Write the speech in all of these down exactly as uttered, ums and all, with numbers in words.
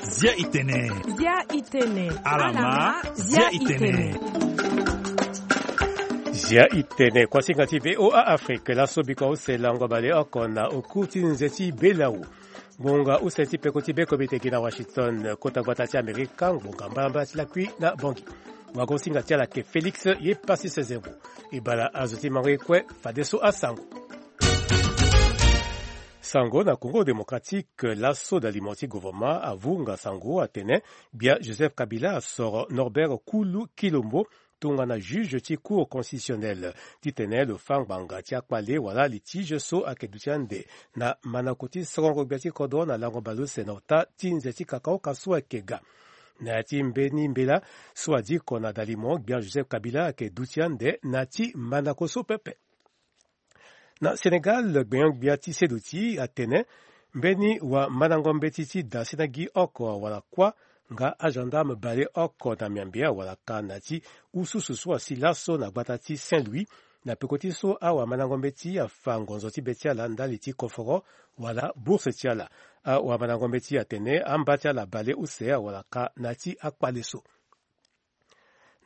Zia itene. Zia itene. Alama, zia itene. Zia itene, kuasinga ti VOA Afrique, laso biko use lango baleoko na oku ti nze ti Belau. Ngbonga use ti peko ti bekobe tegi na Washington, kota gbata ti Amerika, ngbonga mbalambala ti lakui na Bangui. Wagosinga ti ala ke Félix ye pasi sezembo. E bala azo ti mango ye kue, fadeso asango. Sango na Congo Démocratique, laso dalimo ti gouvernement avunga sango atene gbia Joseph Kabila asoro Norbert Kulu Kilombo tongana juge ti Cour constitutionnelle titene lo fâ ngbanga ti akpale wala litige so ayeke duti ande na manako ti sorongo gbia ti kodro na lango baleuse na ota ti nze ti kakaoka so ayeke ga. Na ya ti mbeni mbela so adiko na dalimo, gbia Joseph Kabila ayeke duti ande na ya ti manako so pepe. Na Sénégal, gbenyo-gbia ti seduti atene mbeni wamandango mbeti ti da sena gi oko wala kuâ nga agendarme baleoko na miambe awalaka na ya ti ususu so asi laso na gbata ti Saint-Louis, na peko ti so awamandango mbeti afa ngonzo ti be ti ala ndali ti koforo wala bourse ti ala. Awamandango mbeti atene amba ti ala baleuse awalaka na ya ti akpale so.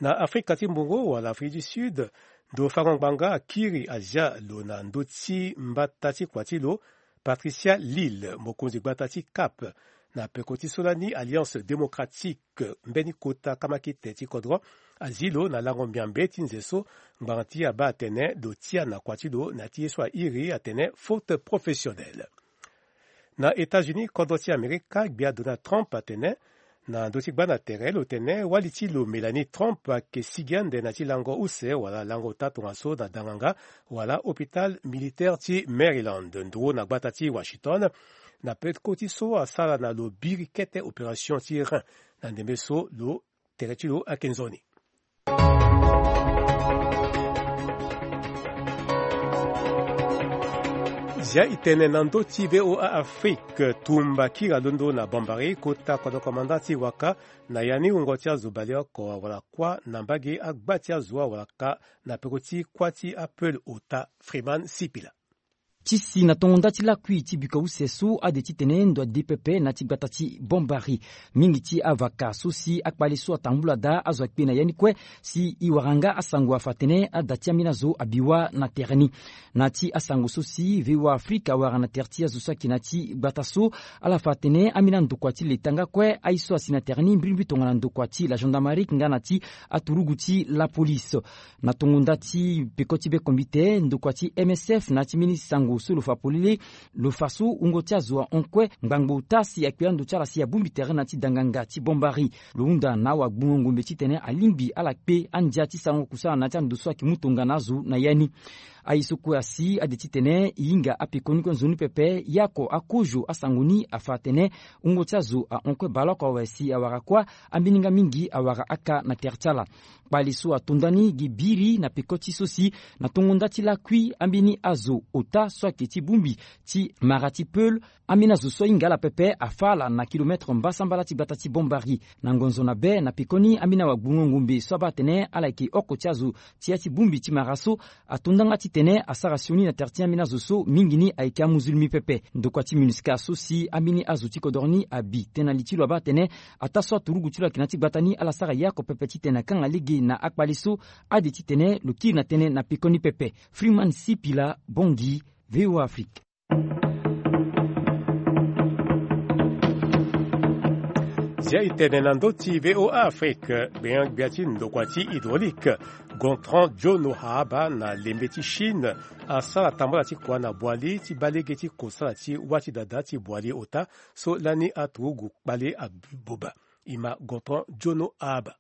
Na Afrika ti Mbongo wala Afrique du Sud, ndo fango ngbanga akiri azia lo na ndö ti mbata ti kua ti lo, Patricia Lille, mokonzi gbata ti Cap, na peko ti so lani Alliance Démocratique, mbeni kota kamakete ti kodro, azi lo na lango miambe ti nze so ngbanga ti abaa atene lo tia na kua ti lo na ya ti ye so airi atene faute professionnelle. Na États-Unis, kodro ti Amerika, gbia Donald Trump atene na ndö ti gbâ na tere lo tene wali ti lo Melanie Trump ayeke sigi ande na ya ti lango use wala lango ota tongaso na danganga wala hôpital militaire ti Maryland, nduru na gbata ti Washington, na peko ti so asara na lo biri kete opération ti rein na ndembe so lo tere ti lo ayeke nzoni. Zia itene na ndö ti VOA Afrique, tumba kiri alondo na Bambari, kota kodro komanda ti waka, na ya ni wungo ti azo baleoko awara kuâ na mbage agba ti azo awara ka na peko ti kuâ ti apeul ota. Freeman Sipila. Ti si na tongo nda ti lakui ti biko use so ade titene ndo ade pepe na ti gbata ti Bambari. Mingi ti avaka so si akpale so atambula daa azo akpe na ya ni kue, si e wara nga asango afa atene ada ti ambeni azo abi wâ na tere ni. Na ti asango so si VOA Afrique awara na tere ti azo so ayeke na ti gbata so, ala fa atene ambeni andokua ti leta nga kue aye so asi na tere ni mbirimbiri tongana ndokua ti la gendarmerie nga na ti aturugu ti la police. Na tongo nda ti peko ti be kombite, ndokua ti M S F na ya ti mbeni sango so lo fa polele, lo fa so wungo ti azo ahon kue ngbangbo ota si akpe ando ti ala si abongbi tere na ya ti danganga ti Bambari. Lo hunda na awagbungo ngombe titene alingbi ala kpe andia ti sarango kusala na ya ti ando so ayeke mu tongana azo na ya ni. Aye so kue asi ade titene e hinga apekoni kue nzoni pepe, ye oko akozo asango ni afa atene wungo ti azo ahon kue baleoko awe si awara kuâ, ambeni nga mingi awara aka na tere ti ala. Kpale so ato nda ni gi biri na peko ti so si na tongo nda ti lakui ambeni azo ota so ayeke ti bongbi ti mara ti peul, ambeni azo so ahinga ala pepe afa ala na kilometre mbasambala ti gbata ti Bambari. Na ngonzo na be na pekoni ambeni awagbungo ngombe so abaa atene ala yeke oko ti azo ti ya ti bongbi ti mara so, ato nda nga titene asara sioni na tere ti ambeni azo so mingi ni ayeke amuzulmi pepe. Ndokua ti MINUSCA so si ambeni azo ti kodro ni abi tënë na li ti lo abaa atene ataa so aturugu ti lo ayeke na ya ti gbata ni ala sara ye oko pepe titene akanga lege na akpale so, ade titene lo kiri na tënë na pekoni pepe. Freeman Sipila, Bangui, VOA Afrique. Zia itene na ndö ti VOA Afrique, gbenyo-gbia ti ndokua ti hydraulique, Gontran Jono Haaba na lembe ti Chine, asara tambala ti kua na boili ti baa lege ti kosala ti wâ ti dada ti boili ota so lani aturugu kpale aboba. E ma Gontran Jono Haaba.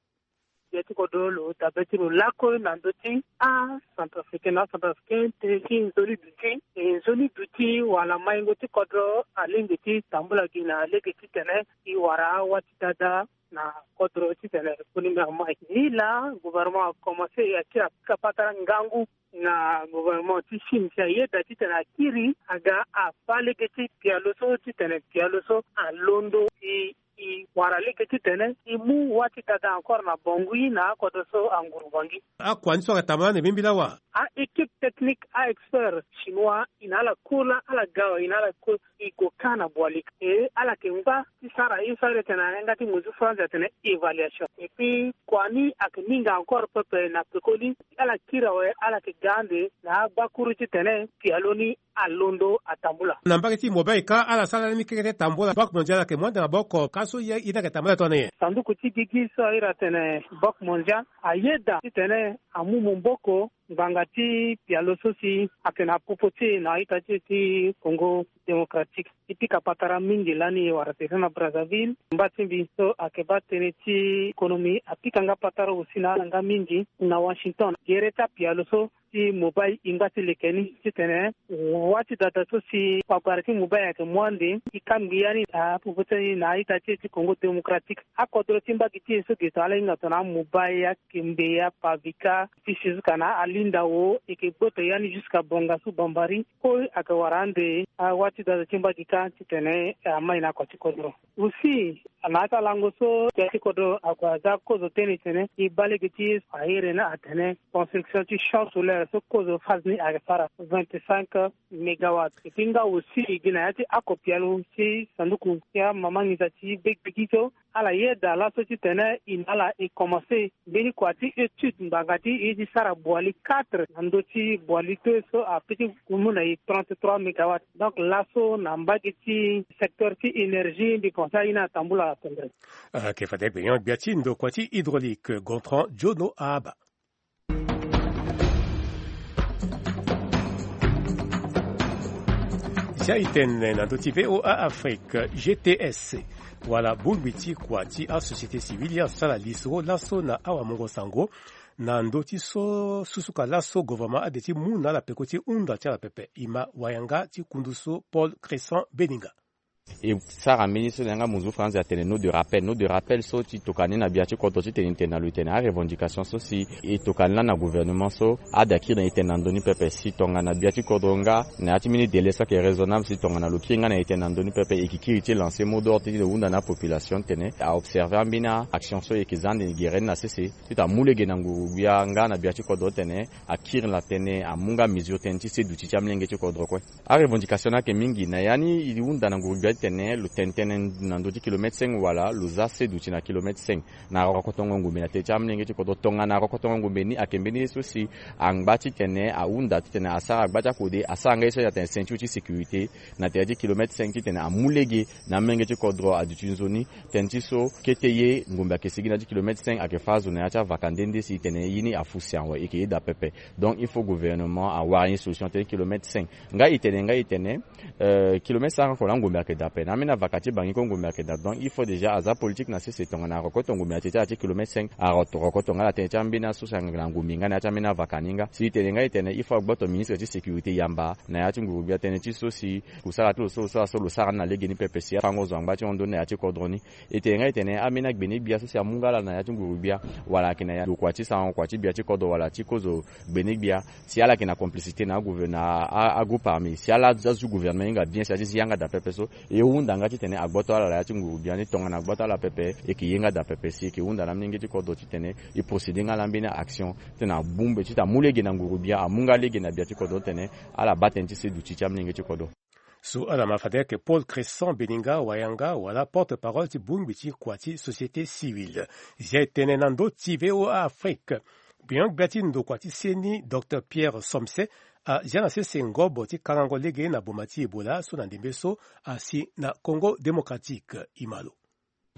Gbia ti kodro lo dabe ti lo lakue na ndö ti acentrafricain na acentrafricain tene ti nzoni duti. E nzoni duti wala maingo ti kodro alingbi ti tambula gi na lege titene e wara awâ ti dada na kodro titene koni mbi amai. Ni laa gouvernement akomanse e akiri apika patara ngangu na gouvernement ti Chine si ayeda titene akiri aga afa lege ti pialo so titene pialo so alondo e e E wara lege titene e mu wâ ti dada encore na Bangui na akodro so anguru Bangui. Akua ni so ayeke tambula na mbembela wa? A-équipe technique, a-expert chinois, e na ala cours laa, ala ga awe, e na ala cours, e gue kâ na Boali. E ala yeke ngba ti sara ye so a iri titene na yanga ti mesure France atene évaluation. Et puis kua ni ayeke mingi encore pepe na pekoni. Ala kiri awe, ala yeke ga ande na agbakuru titene pialo ni alondo atambula. Na mbage ti Mobay kâ, ala sara lani keke ti tambula. Banque mondiale ayeke mu ande na maboko, ka so ye, ye ni ayeke tambula tongana nyen? Sanduku ti gigi so a iri atene Banque mondiale ayeda titene amu maboko ngbanga ti pialo so si ayeke na popo ti e na a-ita ti e ti Congo Démocratique. E pika patara mingi lani, e wara tere na Brazzaville. Mba ti mbi so ayeke baa tënë ti économie apika nga patara aussi na ala nga mingi na Washington. Gere ti apialo so ti Mobay e ngba ti leke ni titene wâ ti dada so si wagwara ti Mobay ayeke mu ande, e kangbi ya ni na popo ti e ni na a-ita ti e ti Congo Démocratique. Akodro ti mbage ti e so ge tongana ala hinga tongana aMobay, aKembe, aPavika, ti si jusqu'à na aLindao, e yeke gboto ya ni jusqu'à Bangassou, Bambari. Kue ayeke wara ande awâ ti dada ti mbage kâ titene amai na kua ti kodro. Aussi na ya ti alango so gbia ti kodro ague aza kozo tënë titene e baa lege ti ye so a iri ni atene construction ti champ solaire so kozo phase ni ayeke sara vingt-cinq mégawatts. Et puis nga aussi e gi na ya ti ako pialo ti sanduku ti amama nginza ti be gbigi so ala yeda laso titene e na ala e commencer mbeni kua ti étude ngbanga ti e ti sara Boali quatre na ndö ti Boali deux so ape ti mu na e trente-trois mégawatts. Donc laso na mbage ti secteur ti énergie mbi pense aye ni atambula atendre. Ayeke fade gbenyo gbia ti ndokua ti hydraulique Gontran Jono Ahaba. Zia e tene na ndö ti V O A Afrique, G T S, wala bongbi ti kua ti asociété civile, ye asara lisoro laso na awamungo sango na ndö ti so susuka laso gouvernement ade ti mu na ala peko ti hunda ti ala pepe. E ma wayanga ti kundu so Paul Crescent Beninga. E sara mbeni so na yanga muzu France atene note de rappel. Note de rappel so ti tokua ni na gbia ti kodro titene e tene na lo e tene arevendication so si e tokua ni lani na gouvernement so ade akiri na e tene na ndö ni pepe si tongana gbia ti kodro nga na ya ti mbeni délai so ayeke raisonnable si tongana lo kiri nga na e tene na ndö ni pepe, e yeke kiri ti lancer mot d'ordre ti lo hunda na apopulation titene aobserver ambeni aaction so e yeke za ande gere ni na sese titene amu lege na nguru-gbia nga na gbia ti kodro titene akiri na tënë, amu nga mesure tënë ti se duti ti amolenge ti kodro kue. Arevendication ni ayeke mingi na ya ni. E hunda na nguru-gbia titene lo tene tënë na ndö ti kilomètre cinq wala lo za se duti na kilomètre cinq na rokotongo ngombe na tënë ti amolenge ti kodro. Tongana rokotongo ngombe ni ayeke mbeni ye so si angba titene ahunda titene asara gba ti akode, asara nga ye so atene ceinture ti sécurité na tënë ti kilomètre cinq titene amu lege na amolenge ti kodro aduti nzoni. Tënë ti so kete ye ngombe ayeke sigi na ya ti kilomètre cinq ayeke fâ azo na ya ti avaka nde nde si e tene ye ni afu si awe e yeke yeda pepe. Donc il faut gouvernement awara ni solution tënë kilomètre cinq. Nga e tene, nga e tene, euh, kilomètre cinq oko laa ngombe ayeke daa ape. Na ambeni avaka ti Bangui kue ngombe ayeke daa. Donc il faut déjà aza politique na sese tongana arokoto ngombe na tënë ti ala ti kilomètre cinq, arokoto nga na tënë ti ambeni aso si ayeke na ngombe nga na ya ti ambeni avaka ni nga. Si e tene nga e tene il faut agboto ministre ti sécurité yamba na ya ti nguru-gbia tënë ti so si kusala ti lo so lo sara so lo sara ni na legeni pepe si afango zo angba ti hon ndoni na ya ti kodro ni. E tene nga e tene ambeni agbene gbia so si amu nga ala na ya ti nguru-gbia wala ayeke na ya ndokua ti sarango kua ti gbia ti kodro wala ti kozo gbene gbia, si ala yeke na complicité na agouverne na a- agroupe armé, si ala azu gouvernement e hinga bien si azi yanga daa pepe so, e hunda nga titene agboto ala na ya ti nguru-gbia ni. Tongana agboto ala pepe e yeke ye nga daa pepe si e yeke hunda na amolenge ti kodro titene e procéder nga na ambeni action titene abongbi titene amu lege na nguru-gbia, amu nga lege na gbia ti kodro titene ala baa tënë ti se duti ti amolenge ti kodro. So ala ma fade ayeke Paul Crescent Beninga Wayanga wala porte-parole ti bongbi ti kua ti société civile. Zia e tene na ndö ti V O A Afrique. Gbenyo-gbia ti ndokua ti seni, Docteur Pierre Somse, azia na sese ngobo ti kangango lege na boma ti Ebola so na ndembe so asi na Congo Démocratique. E ma lo.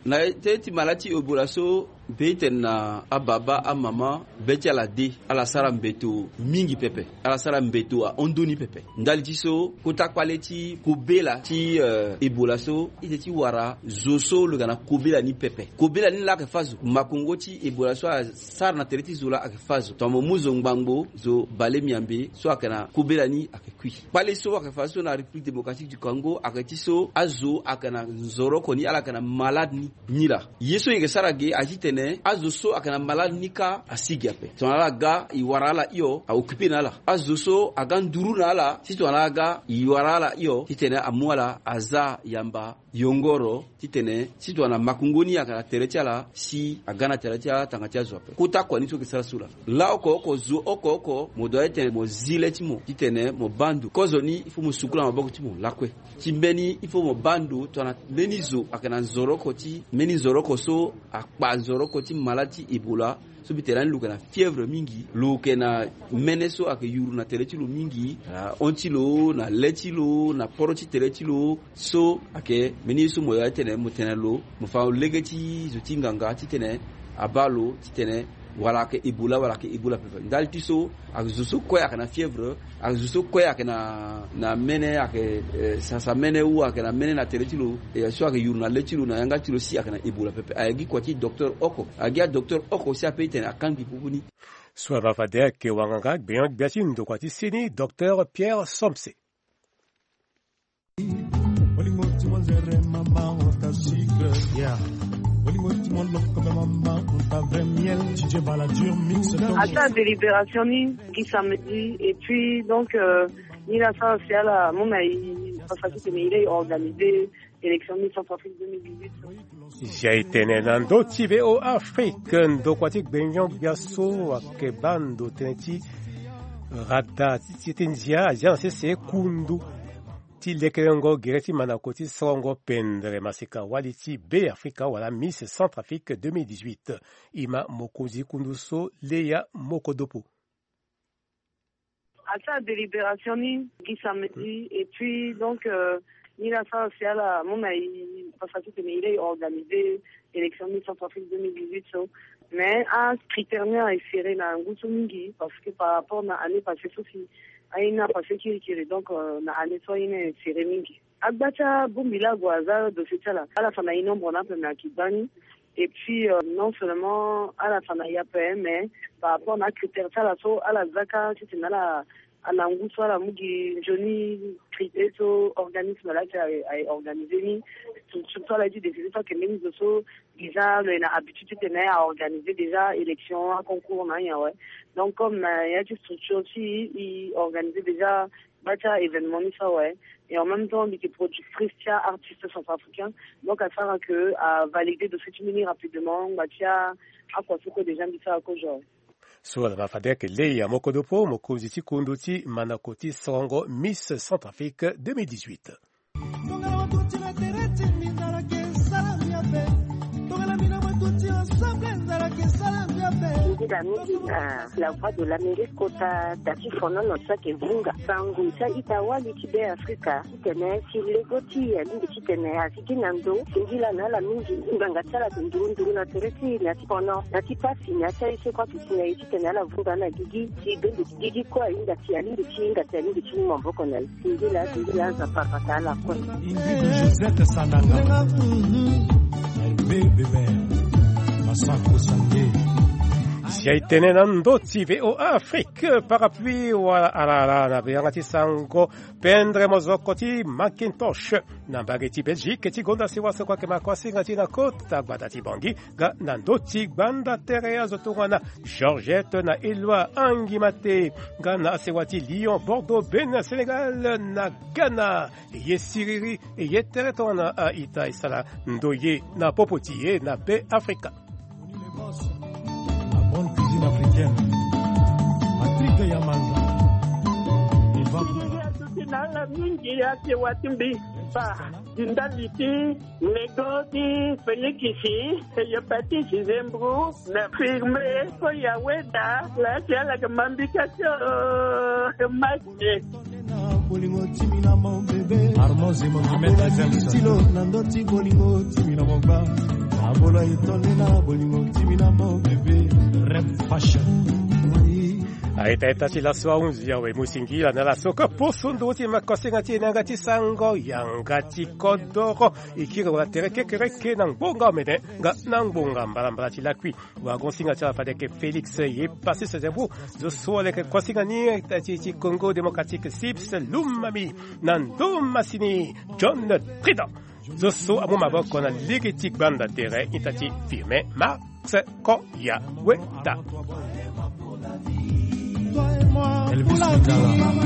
Na tënë ti maladi ti Ebola so, mbi tene na ababa, amama, be ti ala de, ala sara mbeto mingi pepe, ala sara mbeto ahon ndoni pepe. Ndali ti so, kota kpale ti kobela ti, eh, Ebola so, e yeke ti wara zo so lo yeke na kobela ni pepe. Kobela ni laa ayeke fâ zo. Makongo ti Ebola so asara na tere ti zo laa ayeke fâ zo. Tongana mo mu zo ngbangbo, zo bale miambe so ayeke na kobela ni ayeke kui. Kpale so ayeke fâ so na République Démocratique du Congo ayeke ti so azo ayeke na nzoro oko ni, ala yeke na malade ni, ni laa. Ye so e yeke sara ge aye ti tene azo so ayeke na malade ni kâ asi ge ape. Tongana ala ga, e wara ala hio, a occuper na ala. Azo so aga nduru na ala, si tongana ala ga, e wara ala hio, titene amu ala aza yamba yongoro titene si tongana makungo ni ayeke na tere ti ala si aga na tere ti ala tanga ti azo ape. Kota kua ni so yeke sara so laa. Laa oko oko zo oko oko mo doit titene mo zi le ti mo titene mo baa ndo. Kozo ni il faut mo sukula maboko ti mo lakue. Ti mbeni il faut mo baa ndo tongana mbeni zo ayeke na nzoroko ti mbeni nzoroko so akpa nzoroko ti malade ti Ebola. So mbi tene ani lo yeke na fièvre mingi, lo yeke na mene so ayeke yuru na tere ti lo mingi, na hon ti lo, na le ti lo, na poro ti tere ti lo. So ayeke mbeni ye so mo ya titene mo tene na lo, mo fa lege ti zo ti nganga titene abaa lo titene wala ayeke Ebola wala ayeke Ebola pepe. Ndali ti so ayeke zo so kue ayeke na fièvre, ayeke zo so kue ayeke na na mene ayeke eh, sasa mene ou ayeke na mene na tere ti lo, eh, so ayeke yuru na le ti lo na yanga ti lo si ayeke na Ebola pepe. Ayeke gi kua ti docteur oko, ayeke gi adocteur oko si ape titene akangbi pupu ni. So ava fade ayeke wanganga gbenyo-gbia ti ndokua ti seni, docteur Pierre Somse. Ata délibération ni gi samedi et puis donc euh, ni la sara si ala mu na e pasa titene e lei organiser élection ni Centrafrique deux mille dix-huit. Zia e tene na ndö ti V O A Afrique, ndokua ti gbenyo-gbia so ayeke baa ndo tënë ti rada ti ti ndia azia na sese kundu ti lekerengo gere ti mandako ti sorongo pendre maseka wali ti Be Afrika wala Miss Centrafrique deux mille dix-huit. E ma mokonzi kundu so Leya Mokodopo. Ata délibération ni gi samedi et puis donc euh, ni la sara si ala mu na e pasa titene e lei organiser élection ni Centrafrique deux mille dix-huit so. Mais acritère ni aye serré na ngu so mingi parce que par rapport na année passée so si aye ni apassé kirikiri donc euh, na année so aye ni aye serré mingi. Agba ti abongbi laa ague aza dossier ti ala, ala fa na e nombre ni ape me ayeke gbani. Et puis euh, non seulement ala fa na e ape mais par rapport na acritère ti ala so ala za kâ titene ala ala ngu so ala mu gi nzoni critère so organisme laa ti aye organiser ni. Structure so ala ye ti décider so ayeke mbeni zo so déjà lo ye na habitude titene aorganiser déjà élection aconcours na anyen awe. Donc comme na ya ti structure ti e organiser déjà gba ti a-événement ni so awe. Et en même temps mbi yeke productrice ti a-artiste centrafricain. Donc asara ke avalider dossier ti mbi ni rapidement ngba ti akua so kue déjà mbi sara kozo awe. So ala ma fade ayeke Leya Mokodopo, mokonzi ti kundu ti mandako ti sorongo Miss Centrafrique deux mille dix-huit. Nzila mingi na La Voix de l'Amérique kota da ti fonono so ayeke vunga sango ti a-ita wali ti Be Afrika titene si lego ti e alingbi titene asi gi na ndo. Singila na ala mingi ngbanga ti ala ayeke nduru nduru na tere ti e na ya ti fono na ya ti pasi na ya ti aye so kue ayeke si na e titene ala vunga na gigi. Ti bendo ti gigi kue ahinga ti alingbi ti hinga ti alingbi ti mu maboko na e. Singila singila aza parpata ala kue. Ingrid Josette Sananga. Bébé Masako Sange. Si aye tene na ndö ti V O A Afrique parapluie wala ala ala na yanga ti sango pendre mozoko ti Macintosh na mbage ti Belgique ti gonda sewa so kue ayeke makosinga ti na kota gbata ti Bangui. Nga na ndö ti gbanda tere azo tongana Georgette na Eloi Angimate. Nga na asewa ti Lyon, Bordeaux, Bénin, Sénégal na Ghana. E ye siriri e ye tere tongana a-ita e sara ndoye na popo ti e na Be Afrika. La bonne cuisine africaine. Patrick Yamanza. Siriri aduti na ala mingi asewa ti mbi. Fa di ndali ti lego ti Félix, e ye pati Zembro na firme so ya weda la si ala yeke ma mbi ka ti o ma. Bolingo timi na mo bébé. Armand Zema Mohamed Azam. Tilo na ndo ti bolingo timi na mo gba. Abola itondela bolingo timi na mo bébé. Rep fashion. Aita ita ti laso ahunzi awe mu singila na laso ka poso ndo ti makosinga ti e na yanga ti sango yanga ti kodoro. E kiri wala tere kekereke na ngbonga omene nga na ngbonga mbalambala ti lakui. Wagon singa ti ala fade ayeke Félix ye pasi sese mbu. Zo so ala yeke kosinga ni ti ti Congo Démocratique Sips Lumami na ndo masini John Trident. Zo so amu maboko na lege ti gbanda tere ita ti Firmin Max Koya Weta. Elvis Lingala.